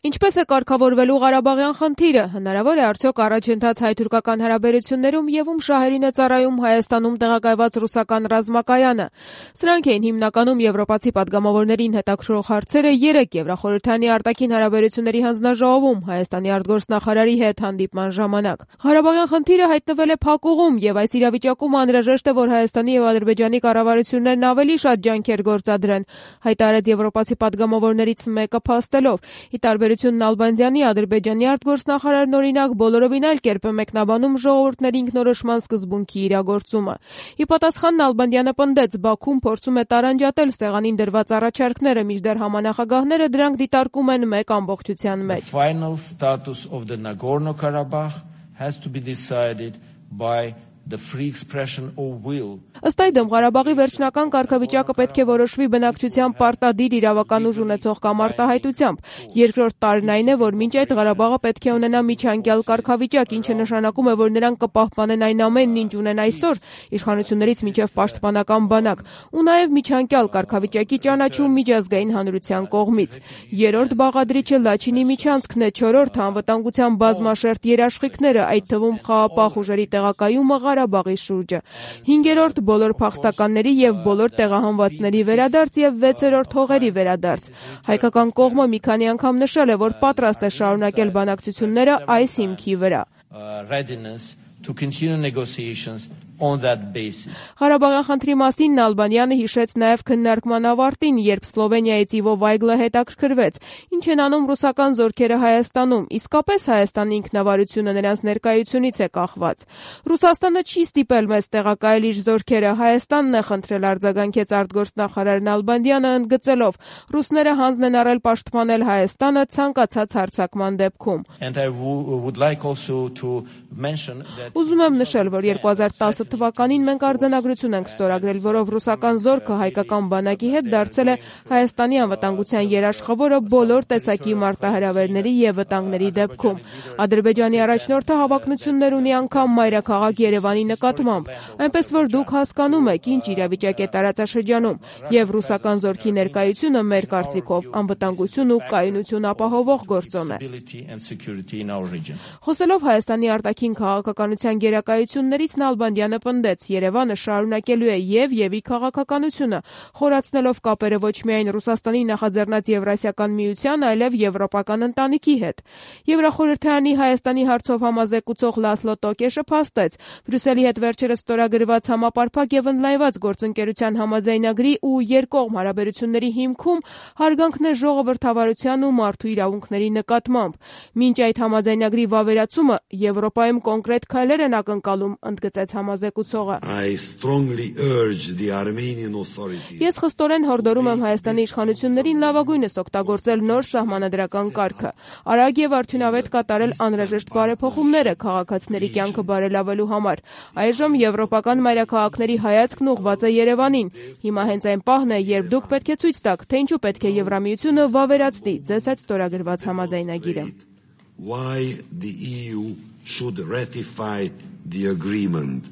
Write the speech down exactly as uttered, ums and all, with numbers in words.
Ինչպես է կարգավորվելու Ղարաբաղյան խնդիրը, հնարավոր է արդյոք առաջընթաց հայ-թուրքական հարաբերություններում եւ ում շահերին է ծառայում Հայաստանում տեղակայված ռուսական ռազմակայանը։ Սրանք էին հիմնականում եվրոպացի պատգամավորներին հետաքրքրող հարցերը երեկ Եվրախորհրդանի արտաքին հարաբերությունների հանձնաժողովում Հայաստանի արտգործնախարարի հետ հանդիպման ժամանակ։ Ղարաբաղյան խնդիրը հայտնվել է փակուղում եւ այս իրավիճակում անհրաժեշտ է, որ Հայաստանի եւ Ադրբեջանի կառավարություններն ավելի շատ ջանքեր գործադրեն, հայտարարեց եվրոպացի պատգամավորներից մեկը փաստելով։ Ի տարբերություն Նալբանդյանի Ադրբեջանի արտգործնախարարն օրինակ բոլորովին այլ կերպ է մեկնաբանում ժողովուրդների ինքնորոշման սկզբունքի իրագործումը։ Ի պատասխան Նալբանդյանը պնդեց, Բաքուն փորձում է տարանջատել սեղանին դրված առաջարկները, մինչդեռ համանախագահները դրանք դիտարկում են մեկ ամբողջության մեջ։ The final status of the Nagorno-Karabakh has to be decided by the free expression of will. Ըստ այդմ Ղարաբաղի վերջնական կարգավիճակը պետք է որոշվի բնակչության պարտադիր իրավական ուժ ունեցող կամ արտահայտությամբ։ Երկրորդ տարրն այն է, որ մինչ այդ Ղարաբաղը պետք է ունենա միջանկյալ կարգավիճակ, ինչը նշանակում է, որ նրանք կպահպանեն այն ամենն, ինչ ունեն այսօր, իշխանություններից մինչև պաշտպանական բանակ, ու նաև միջանկյալ կարգավիճակի ճանաչում միջազգային հանրության կողմից։ Երրորդ բաղադրիչը Լաչինի միջանցքն է, չորրորդը անվտանգության բազմաշերտ երաշխիքները, այդ թվում խաղաղապահ ուժերի տեղակայումը Ղարաբաղի շուրջը։ Հինգերորդ բոլոր փախստականների եւ բոլոր տեղահանվածների վերադարձ եւ վեցերորդ հողերի վերադարձ։ Հայկական կողմը մի քանի անգամ նշել է, որ պատրաստ է շարունակել բանակցությունները այս հիմքի վրա։ To continue negotiations on that basis. Ղարաբաղյան խնդրի մասին Նալբանդյանը հիշեց նաև քննարկման ավարտին, երբ Սլովենիայից Իվո Վայգլը հետաքրքրվեց, ինչ են անում ռուսական զորքերը Հայաստանում, իսկապես Հայաստանի ինքնավարությունը նրանց ներկայությունից է կախված։ Ռուսաստանը չի ստիպել մեզ տեղակայել իր զորքերը, Հայաստանն է խնդրել, արձագանքեց արտգործնախարար Նալբանդյանը ընդգծելով, ռուսները հանձն են առել պաշտպանել Հայաստանը ցանկացած հարձակման դեպքում։ And I would like also to mention that Ուզում եմ նշել, որ երկու հազար տասը թվականին մենք արձանագրություն ենք ստորագրել, որով ռուսական զորքը հայկական բանակի հետ դարձել է Հայաստանի անվտանգության երաշխավորը բոլոր տեսակի մարտահրավերների եւ վտանգների դեպքում։ Ադրբեջանի առաջնորդը հավակնություններ ունի անգամ մայրաքաղաք Երևանի նկատմամբ, այնպես որ դուք հասկանում եք, ինչ իրավիճակ է տարածաշրջանում, եւ ռուսական զորքի ներկայությունը մեր կարծիքով անվտանգություն ու կայունություն ապահովող գործոն է։ Խոսելով Հայաստանի արտաքին քաղաքականության գերակայություններից Նալբանդյանը պնդեց, Երևանը շարունակելու է եւ Եվի քաղաքականությունը, խորացնելով կապերը ոչ միայն Ռուսաստանի նախաձեռնած Եվրասիական միության, այլև եվրոպական ընտանիքի հետ։ Եվրախորհրդարանի Հայաստանի հարցով համազեկուցող Լասլո Տոկեշը փաստեց, Բրյուսելի հետ վերջերս ստորագրված համապարփակ եւ ընդլայնված գործընկերության համաձայնագրի ու երկկողմ հարաբերությունների հիմքում հարգանքն է ժողովրդավարության ու մարդու իրավունքների նկատմամբ։ Մինչ այդ համաձայնագրի վավերացումը Եվրոպայում կոնկրետ քայլեր են ակնկալում, ընդգծեց համազեկուցողը։ Ես խստորեն հորդորում եմ Հայաստանի իշխանություններին լավագույնս օգտագործել նոր սահմանադրական կարգը, արագ եւ արդյունավետ կատարել անհրաժեշտ բարեփոխումները քաղաքացիների կյանքը բարելավելու համար։ Այժմ եվրոպական մայրաքաղաքների հայացքն ուղղված է Երևանին։ Հիմա հենց այն պահն է, երբ դուք պետք է ցույց տաք, թե ինչու պետք է Եվրամիությունը վավերացնի ձեզ հետ ստորագրված համաձայնագիրը։ Why the E U should ratify the agreement.